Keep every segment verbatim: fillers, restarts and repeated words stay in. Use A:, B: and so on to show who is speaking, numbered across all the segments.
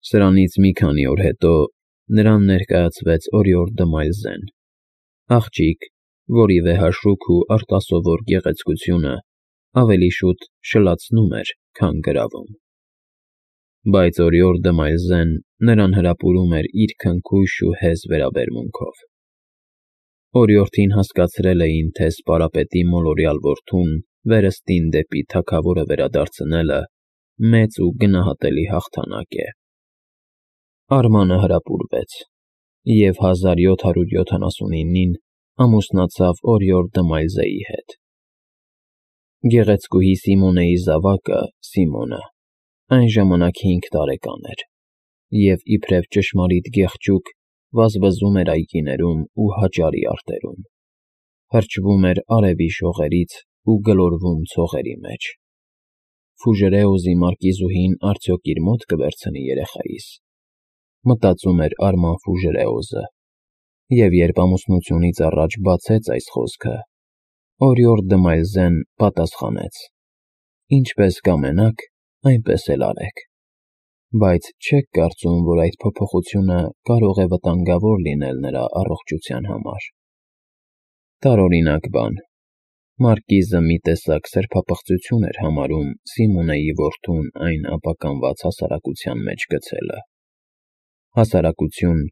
A: Սրանից մի քանի օր հետո նրան ներկայացվեց Օրիորդ դը Մայլզեն, աղջիկ, որի վեհաշուք ու արտասովոր գեղեցկությունը ավելի շուտ շլացնում էր, քան գրավում։ Բայց Օրիորդ դը Մայլզեն նրան հրապուրում էր իր քնքուշ ու հեզ վերաբերմունքով։ Օրիորդին հասկացրել էին, թե սպարապետի մոլորյալ որդուն վերստին դեպի թագավորը վերադարձնելը մեծ ու գնահատելի հաղթանակ է։ Արմանը հրապուրվեց և հազար յոթ հարյուր յոթանասունինին ամուսնացավ Օրիորդ դը Մայլզեի հետ։ Գեղեցկուհի Սիմոնեի զավակը՝ Սիմոնը, այն ժամանակ հինգ տարեկան էր և իբրև ճշմարիտ գեղջուկ վազվզում էր այգիներում ու հաճարի արտերում, հրճվում էր արևի շողերից ու գլորվում ցողերի մեջ։ «Ֆուժերեոզի մարկիզուհին արդյոք իր մոտ կվերցնի երեխայիս», մտածում էր Արման Ֆուժերեոզը, և երբ ամուսնությունից առաջ բացեց այս խոսքը, Օրիորդ դը Մայլզեն պատասխանեց. «Ինչպես կամենաք, այնպես էլ արեք, բայց չե՞ք կարծում, որ այդ փոփոխությունը կարող է վտանգավոր լինել նրա առողջության համար»։ Տարօրինակ բան, մարկիզը մի տեսակ սրբապղծություն էր համարում Սիմոնեի որդուն այն ապականված հասարակության մեջ գցելը, հասարակություն,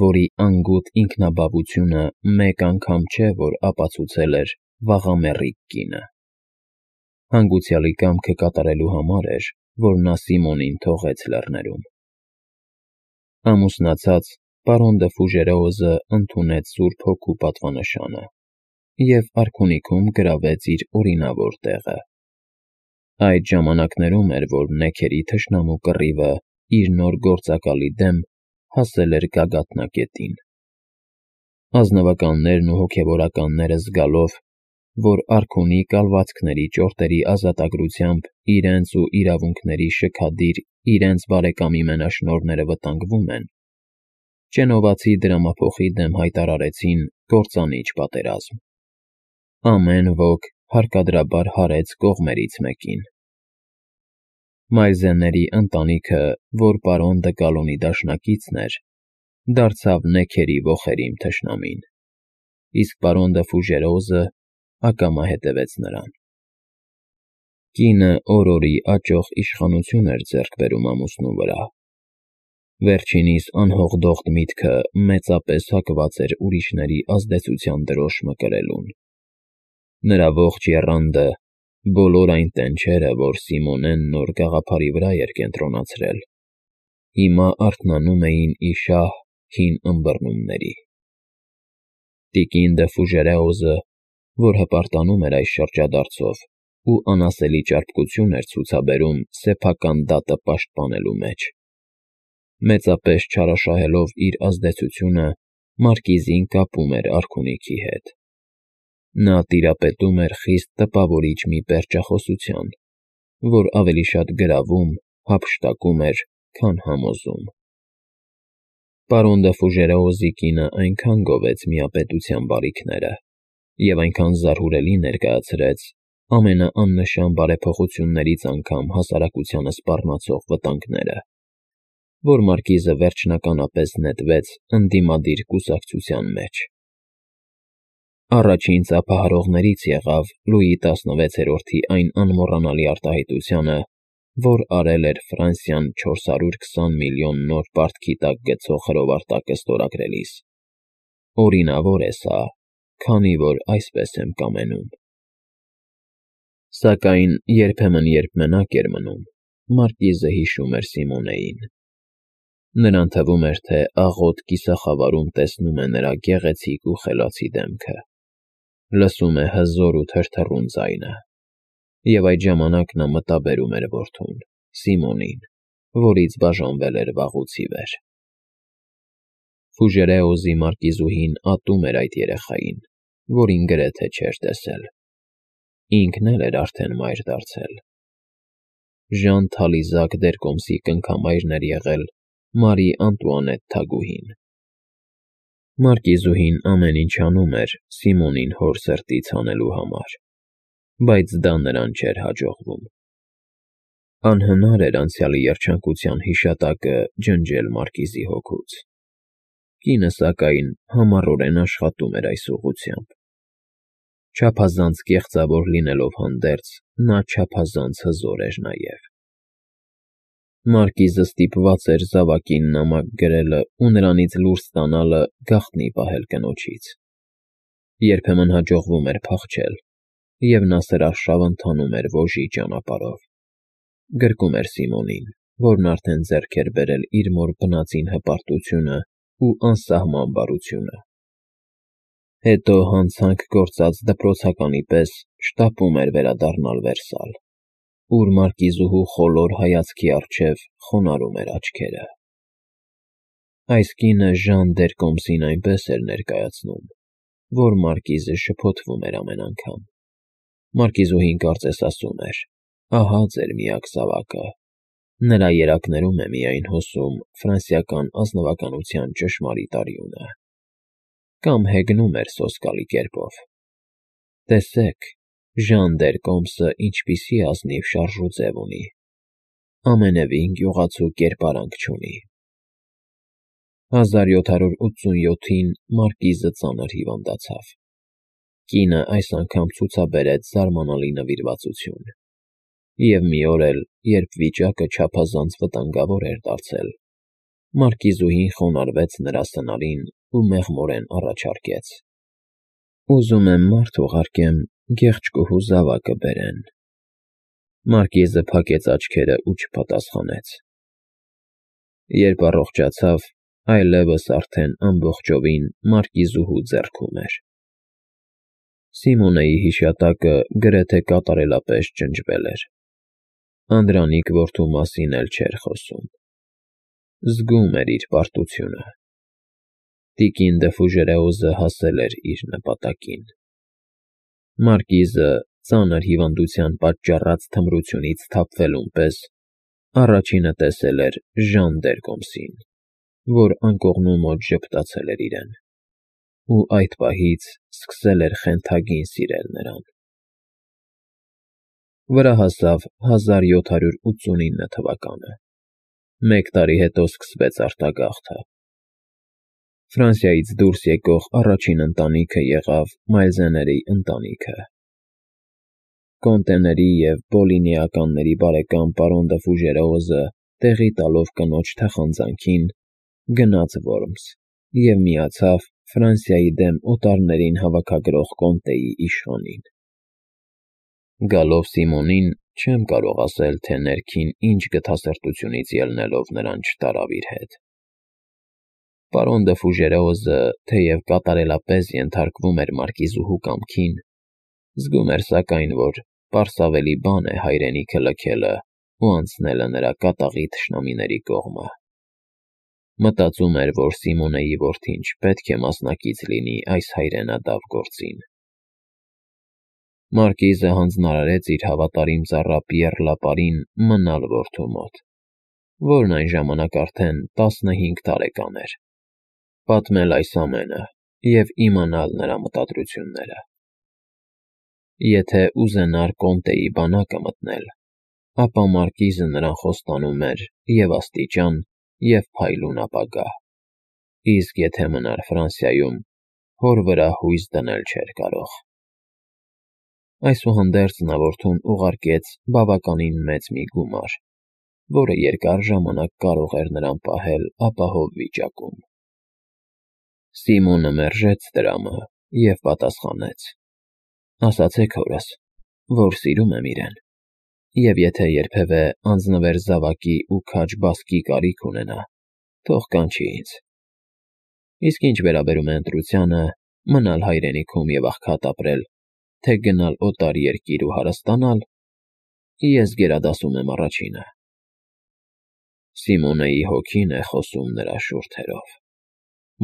A: որի անգութ ինքնաբավությունը մեկ անգամ չէ, որ ապացուցել էր վաղամեռիկ կինը։ Հանգուցյալի կամքը կատարելու համար էր, որ նա Սիմոնին թողեց լեռներում։ Ամուսնացած, պարոն դը Ֆուժերեոզը ընդունեց Սուրբ Հոգու պատվանշանը և արքունիքում գրավեց իր օրինավոր տեղը։ Այդ ժամանակներում էր, որ նեքերի թշնամու կռիվը իր նոր գործակալի դեմ հասել էր գագաթնակետին։ Ազնվականներն ու հոգևորականները զգալով, որ արքունի կալվածքների ճորտերի ազատագրությամբ իրենց ու իրավունքների շքադիր իրենց բարեկամի մենաշնորհները վտանգվում են, Ճենովացի դրամափոխի դեմ հայտարարեցին կործանիչ պատերազմ։ Ամեն ոք հարկադրաբար հարեց կողմերից մեկին։ Մայլզենների ընտանիքը, որ պարոն դը Գալոնի դաշնակիցն էր, դարձավ նեքերի ոխերիմ թշնամին, իսկ պարոն դը Ֆուժերեոզը ակամա հետևեց նրան։ Կինը օր֊օրի աճող իշխանություն էր ձեռք բերում ամուսնու վրա։ Վերջինիս անհողդողդ միտքը մեծապես հակված էր ուրիշների ազդեցության դրոշ մկրելուն։ Նրա ողջ եռանդը, բոլոր այն տենչերը, որ Սիմոնեն նոր գաղափարի վրա էր կենտրոնացրել, հիմա արթնանում էին ի շահ հին ըմբռնումների։ Տիկին դը Ֆուժերեոզը, որ հպարտանում էր այս շրջադարձով ու անասելի ճարպկություն էր ցուցաբերում սեփական դատը պաշտպանելու մեջ, մեծապես չարաշահելով իր ազդեցությունը, մարկիզին կապում էր արքունիքի հետ։ Նա տիրապետում էր խիստ տպավորիչ մի պերճախոսության, որ ավելի շատ գրավում, հափշտակում էր, քան համոզում։ Պարոն դը Ֆուժերեոզի կինը այնքան գովեց միապետության բարիքները և այնքան զարհուրելի ներկայացրեց ամենաաննշան բարեփոխություններից անգամ հասարակությանը սպառնացող վտանգները, որ մարկիզը վերջնականապես նետվեց ընդդիմադիր կուսակցության մեջ։ Առաջին ծափահարողներից եղավ Լուի տասնվեցերորդի այն անմոռանալի արտահայտությունը, որ արել էր Ֆրանսիան չորս հարյուր քսան միլիոն նոր պարտքի տակ գցող հրովարտակը ստորագրելիս։ Օրինավոր է սա, քանի որ այսպես եմ կամենում։ Սակայն երբեմն, երբ մենակ էր մնում, մարկիզը հիշում էր Սիմոնեին։ Նրան թվում էր, թե աղոտ կիսախավարում տեսնում է նրա գեղեցիկ ու խելացի դեմքը, լսում է հզոր ու թրթռուն ձայնը, և այդ ժամանակ նա մտաբերում էր որդուն՝ Սիմոնին, որից բաժանվել էր վաղուց ի վեր։ Ֆուժերեոզի մարկիզուհին ատում էր այդ երեխային, որին գրեթե չէր տեսել։ Ինքն էլ էր արդեն մայր դարձել։ Ժան Թալիզակ Դերկոմսի կնքամայրն էր եղել Մարի Անտուանետ թագուհին։ Մարկիզուհին ամեն ինչ անում էր Սիմոնին հոր սրտից հանելու համար, բայց դա նրան չէր հաջողվում։ Անհնար էր անցյալի երջանկության հիշատակը ջնջել մարկիզի հոգուց։ Կինը, սակայն, համառորեն աշխատում էր այս ուղղությամբ։ Չափազանց կեղծավոր լինելով հանդերձ, նա չափազանց հզոր էր նաև։ Մարկիզը ստիպված էր զավակին նամակ գրելը ու նրանից լուր ստանալը գաղտնի պահել կնոջից։ Երբեմն հաջողվում էր փախչել, և նա սրաշավ ընթանում էր ոժի ճանապարհով։ Գրկում էր Սիմոնին, որն արդեն ձեռք էր բերել իր մոր բնածին հպարտությունն ու անսահման բարությունը։ Հետո հանցանք գործած դպրոցականի պես շտապում էր վերադառնալ Վերսալ, ուր մարկիզուհու խոլոր հայացքի առջև խոնարհում էր աչքերը։ Այս կինը Ժան Դերկոմսին այնպես էր ներկայացնում, որ մարկիզը շփոթվում էր ամեն անգամ։ Մարկիզուհին կարծես ասում էր. «Ահա ձեր միակ զավակը»։ Նրա երակներում է միայն հոսում ֆրանսիական ազնվականության ճշմարիտ արյունը։ Կամ հեգնում էր սոսկալի կերպով. «Տեսեք, Ժան Դերկոմսը ինչպիսի ազնիվ շարժուձև ունի, ամենևին գյուղացու կերպարանք չունի»։ հազար յոթ հարյուր ութսունյոթին մարկիզը ծանր հիվանդացավ։ Կինը այս անգամ ցուցաբերեց զարմանալի նվիրվածություն։ Եվ մի օր էլ, երբ վիճակը չափազանց վտանգավոր էր դարձել, մարկիզուհին խոնարհվեց նրա սնարին ու մեղմորեն առաջարկեց. «Ուզում եմ մարդ ուղարկեմ գեղեցկուհու զավակը բերեն»։ Մարկիզը փակեց աչքերը ու չպատասխանեց։ Երբ առողջացավ, այլևս արդեն ամբողջովին մարկիզուհու ձեռքում էր։ Սիմոնեի հիշատակը գրեթե կատարելապես ջնջվել էր։ Անդրանիկ որդու մասին էլ չէր խոսում։ Զգում էր իր պարտությունը։ Տիկին Դեֆուժերեոզը հասել էր իր նպատակին։ Մարկիզը, ծանր հիվանդության պատճառած թմրությունից թափվելուն պես, առաջինը տեսել էր Ժան Դերկոմսին, որ անկողնու մոտ ժպտացել էր իրեն, ու այդ պահից սկսել էր խենթագին սիրել նրան։ Վրա հասավ հազար յոթ հարյուր ութսունինը թվականը։ Մեկ տարի հետո սկսվեց արտագաղթը։ Ֆրանսիայից դուրս եկող առաջին ընտանիքը եղավ Մայլզեների ընտանիքը։ Կոնտեների և Պոլինիականների բարեկամ պարոն Դեֆուժերեոզը, տեղի տալով կնոջ թախանձանքին, գնաց Որմս և միացավ Ֆրանսիայի դեմ օտարներին հավաքագրող կոմտեի իշխանին։ Գալով Սիմոնին, չեմ կարող ասել, թե ներքին ինչ գթասրտությունից ելնելով նրան չտարավ իր հետ։ Պարոն Դեֆուժերեոզը, թեև կատարելապես ենթարկվում էր մարկիզուհու կամքին, զգում էր սակայն, որ պարսավելի բան է հայրենիքը լքելը ու անցնելը նրա կատաղի թշնամիների կողմը։ Մտածում էր, որ Սիմոնեի որդին չպետք է մասնակից լինի այս հայրենադավ գործին։ Մարկիզը հանձնարարեց իր հավատարիմ ծառա Պիեռ Լապարին մնալ որդու մոտ, որն այն ժամանակ արդեն տասնհինգ տարեկան էր, պատմել այս ամենը և իմանալ նրա մտադրությունները։ Եթե ուզենար կոմտեի բանակը մտնել, ապա մարկիզը նրան խոստանում էր և աստիճան, և փայլուն ապագա, իսկ եթե մնար Ֆրանսիայում, հոր վրա հույս դնել չէր կարող։ Այսուհանդերձ նա որդուն ուղարկեց բավականին մեծ մի գումար, որը երկար ժամանակ կարող էր նրան պահել ապահով վիճակում։ Սիմոնը մերժեց տրամը և պատասխանեց. «Ասացեք հորս, որ սիրում եմ իրեն, և եթե երբևէ անձնվեր զավակի ու քաջ բասկի կարիք ունենա, թող կանչի ինձ։ Իսկ ինչ վերաբերում է ընտրությանը, մնալ հայրենիքում և աղքատ ապրել, թե գնալ օտար երկիր ու հարստանալ, ես գերադասում եմ առաջինը»։ Սիմոնեի հոգին է խոսում նրա շուրթերով,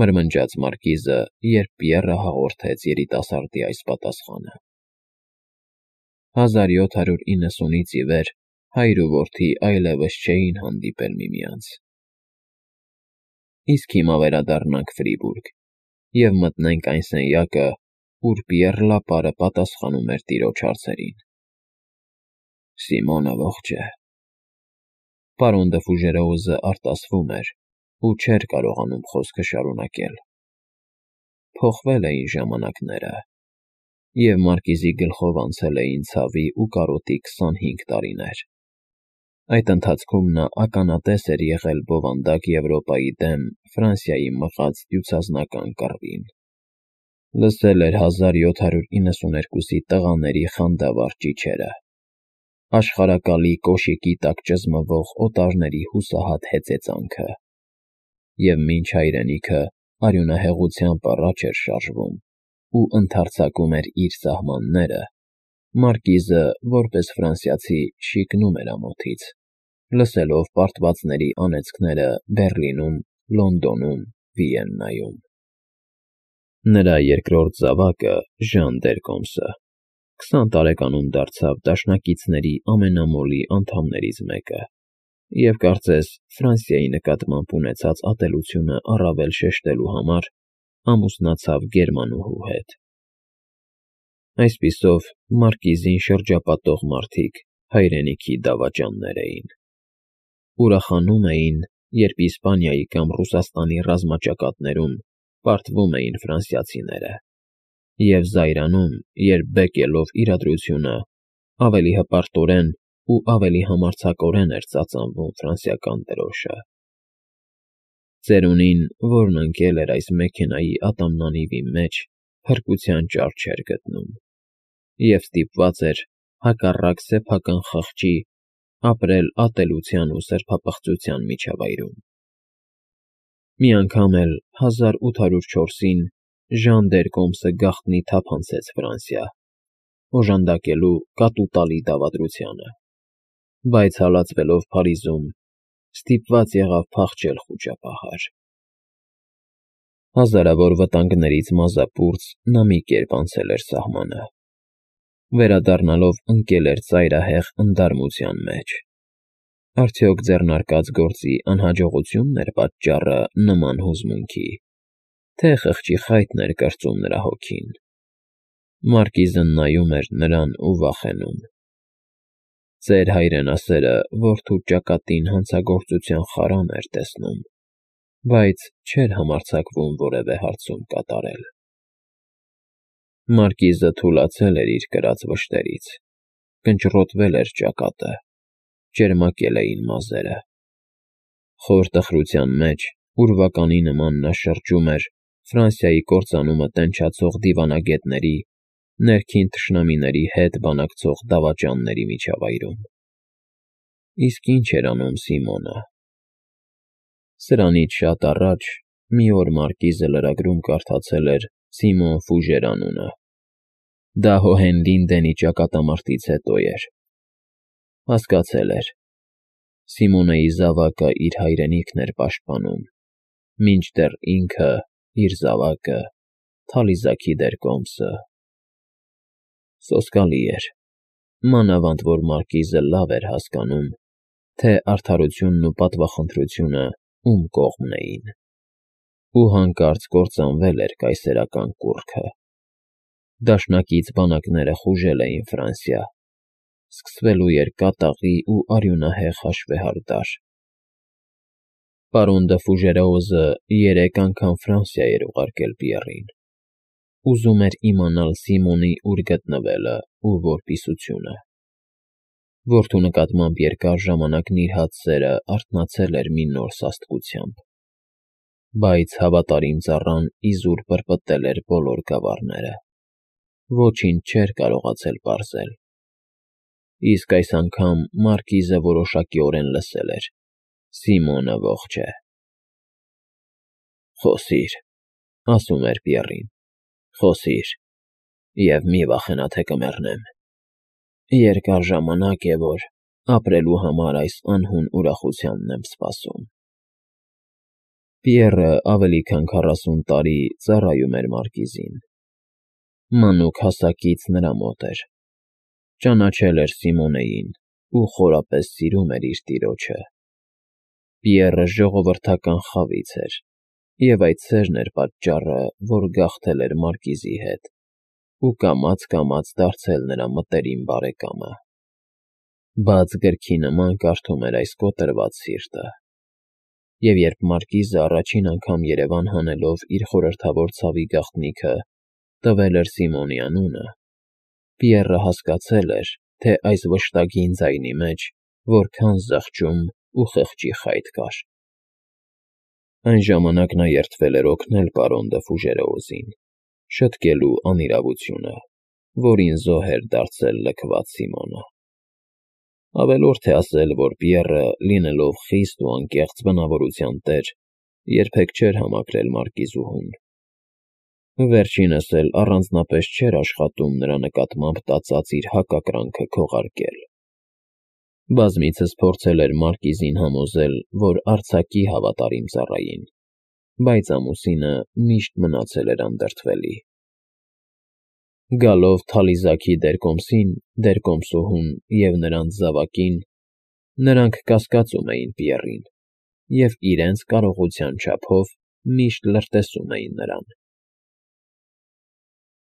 A: մրմնջաց մարկիզը, երբ Պիեռը հաղորդեց երիտասարդի այս պատասխանը։ հազար յոթ հարյուր իննսունից ի վեր հայր ու որդի այլևս չէին հանդիպել միմյանց։ Իսկ հիմա վերադառնանք Ֆրիբուրգ և մտնենք այն սենյակը, ուր Պիեռ Լապարը պատասխանում էր տիրոջ հարցերին։ Սիմոնը ողջ է։ Պարոն դը Ֆուժերոուզը արտասվում էր ու չէր կարողանում խոսքը շարունակել։ Փոխվել էին ժամանակները, և մարկիզի գլխով անցել էին ցավի ու կարոտի քսանհինգ տարիներ։ Այդ ընթացքում նա ականատես էր եղել բովանդակ Եվրոպայի դեմ Ֆրանսիայի մղած դյուցազնական կռվին, լսել էր հազար յոթ հարյուր իննսուներկուսի տղաների խանդավառ ճիչերը, աշխարհակալի կոշիկի տակ ճզմվող օտարների հուսահատ հեծեծանքը, և մինչ հայրենիքը արյունահեղությամբ առաջ էր շարժվում ու ընդարձակում էր իր սահմանները, մարկիզը, որպես ֆրանսիացի, շիկնում էր ամոթից, լսելով պարտվածների անեծքները Բեռլինում, Լոնդոնում, Վիեննայում։ Նրա երկրորդ զավակը՝ Ժան Դերկոմսը, քսան տարեկանում դարձավ դաշնակիցների ամենամոլի անդամներից մեկը և, կարծես, Ֆրանսիայի նկատմամբ ունեցած ատելությունը առավել շեշտելու համար, ամուսնացավ գերմանուհու հետ։ Այսպիսով, մարկիզին շրջապատող մարդիկ հայրենիքի դավաճաններ էին։ Ուրախանում էին, երբ Իսպանիայի կամ Ռուսաստանի ռազմաճակատներում պարտվում էին ֆրանսիացիները, և զայրանում, երբ բեկելով իրադրությունը, ավելի հպարտորեն ու ավելի համարձակորեն էր ծածանվում ֆրանսիական դրոշը։ Ծերունին, որն ընկել էր այս մեքենայի ատամնանիվի մեջ, փրկության ճար չէր գտնում և ստիպված էր, հակառակ սեփական խղճի, ապրել ատելության ու սրբապղծության միջավայրում։ Մի անգամ էլ հազար ութ հարյուր չորսին Ժան Դերկոմսը գաղտնի թափանցեց Ֆրանսիա՝ օժանդակելու կատու տալի դավադրությանը, բայց հալածվելով Փարիզում, ստիպված եղավ փախչել խուճապահար։ Հազարավոր վտանգներից մազապուրծ նա մի կերպ անցել էր սահմանը։ Վերադառնալով ընկել էր ծայրահեղ ընդդարմության մեջ։ Արդյոք ձեռնարկած գործի անհաջողությո՞ւնն էր պատճառը նման հուզմունքի, թե խղճի խայտն էր կրծում նրա հոգին։ Մարկիզը նայում էր նրան ու վախենում։ Ծեր հայրենասերը որդու ճակատին հանցագործության խարան էր տեսնում, բայց չէր համարձակվում որևէ հարցում կատարել։ Մարկիզը թուլացել էր իր կրած վշտերից, կնճռոտվել էր ճակատը, ճերմակել էին մազերը։ Խոր տխրության մեջ ուրվականի նման նա շրջում էր Ֆրանսիայի կործանումը տենչացող դիվանագետների, ներքին թշնամիների հետ բանակցող դավաճանների միջավայրում։ Իսկ ի՞նչ էր անում Սիմոնը։ Սրանից շատ առաջ մի օր մարկիզը լրագրում կարդացել էր Սիմոն Ֆուժեր անունը։ Դա Հոհենլինդենի ճակատամարտից հետո էր։ Հասկացել էր. Սիմոնեի զավակը իր հայրենիքն էր պաշտպանում, մինչդեռ ինքը՝ իր զավակը՝ Թալիզաքի Դերկոմսը։ Սոսկալի էր, մանավանդ որ մարկիզը լավ էր հասկանում, թե արդարությունն ու պատվախնդրությունը ում կողմն էին, ու հանկարծ կործանվել էր կայսերական կուռքը։ Դաշնակից բանակները խուժել էին Ֆրանսիա, սկսվելու էր կատաղի ու արյունահեղ հաշվեհարդար։ Պարոն դը Ֆուժերոուզը երեք անգամ Ֆրանսիա էր ուղարկել Պիեռին, ուզում էր իմանալ Սիմոնի ուր գտնվելը ու որպիսությունը։ Որդու նկատմամբ երկար ժամանակ նիրհած սերը արթնացել էր մի նոր սաստկությամբ, բայց հավատարիմ ծառան իզուր պրպտել էր բոլոր գավառները, ոչինչ չէր կարողացել պարզել։ Իսկ այս անգամ մարկիզը որոշակիորեն լսել էր. Սիմոնը ողջ է։ «Խոսիր», ասում էր Պիեռին, «խոսիր, և մի վախենա, թե կմեռնեմ։ Երկար ժամանակ է, որ ապրելու համար այս անհուն ուրախությանն եմ սպասում»։ Պիեռը ավելի քան քառասուն տարի ծառայում էր մարկիզին։ Մանուկ հասակից նրա մոտ էր, ճանաչել էր Սիմոնեին ու խորապես սիրում էր իր տիրոջը։ Պիեռը ժողովրդական խավից էր, և այդ սերն էր պատճառը, որ գաղթել էր մարկիզի հետ ու կամաց֊կամաց դարձել նրա մտերիմ բարեկամը։ բաց գրքի նման կարդում էր այս կոտրված սիրտը։ Եվ երբ մարկիզը առաջին անգամ երևան հանելով իր խորհրդավոր ցավի գաղտնիքը տվել էր Սիմոնի անունը, Պիեռը հասկացել էր, թե այս վշտագին ձայնի մեջ որքան զղջում ու խղճի խայտ կար։ Այն ժամանակ նա երդվել էր օգնել պարոն դը Ֆուժերեոզին, շտկելու անիրավությունը, որին զոհ էր դարձել լքված Սիմոնը։ Ավելորդ է ասել, որ Պիեռը, լինելով խիստ ու անկեղծ բնավորության տեր, երբեք չէր համակրել մարկիզուհուն։ Վերջինս էլ առանձնապես չէր աշխատում նրա նկատմամբ տածած իր հակակրանքը քողարկել։ Բազմիցս փորձել էր մարկիզին համոզել, որ արձակի հավատարիմ ծառային, բայց ամուսինը միշտ մնացել էր անդրդվելի։ Գալով Թալիզաքի դերկոմսին, դերկոմսուհուն և նրանց զավակին, նրանք կասկածում էին Պիեռին և իրենց կարողության չափով միշտ լրտեսում էին նրան։